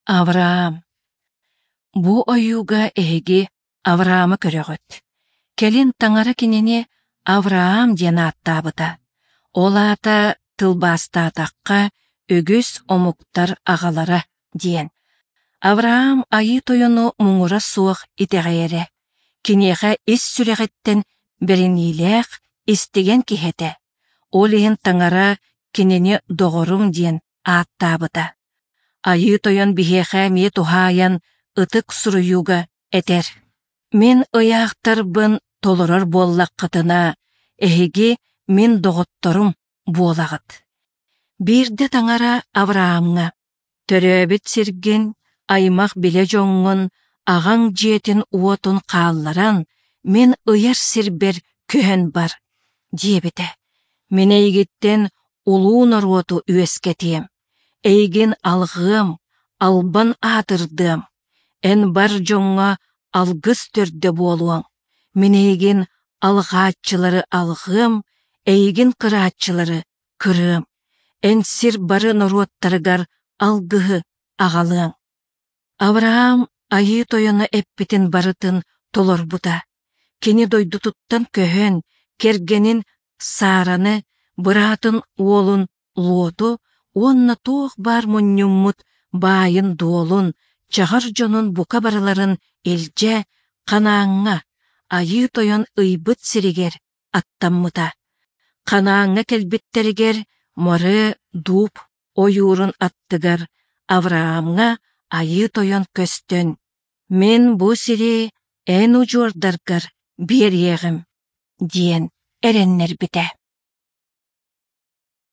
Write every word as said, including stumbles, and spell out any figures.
Авраам. Бу ойууга эһиги Авраамы көрөҕүт. Кэлин Таҥара кинини Авраам диэн ааттаабыта. Ол аата тылбаастаатахха үгүс омуктар аҕалара диэн. Авраам Айыы Тойону муҥура суох итэҕэйэрэ, киниэхэ ис сүрэҕиттэн бэриниилээх, истигэн киһи этэ. Ол иһин Таҥара кинини доҕорум диэн ааттаабыта. Айыы Тойон биһиэхэ эмиэ туһаайан Ытык Суруйууга этэр: «Мин ыйаахтарбын толорор буоллаххытына, эһиги мин доҕотторум буолаҕыт». Биирдэ Таҥара Авраамҥа: «Төрөөбүт сиргин, аймах-билэ дьоҥҥун, аҕаҥ дьиэтин-уотун хаалларан, мин ыйар сирбэр көһөн бар», диэбитэ. Мин эйигиттэн улуу норуоту үөскэтиэм, эйигин алҕыам, албан аатырдыам. Эн бар дьоҥҥо алгыс төрдө буолуоҥ. Мин эйигин алҕааччылары алҕыам, эйигин кырааччылары кырыам. Эн сир бары норуоттарыгар алгыһы аҕалыаҥ. Авраам Айыы Тойоно эппитин барытын толорбута. Кини дойдутуттан көһөн, кэргэнин Сараны, быраатын уолун Лоту уонна туох баар мунньуммут баайын-дуолун, чаҕар дьонун бука барыларын илдьэ Ханааҥҥа, Айыы Тойон ыйбыт сиригэр аттаммыта. Ханааҥҥа кэлбиттэригэр Море дуб ойуурун аттыгар Авраамҥа Айыы Тойон көстөн: «Мин бу сири эн удьуордаргар биэриэҕим» диэн эрэннэрбитэ.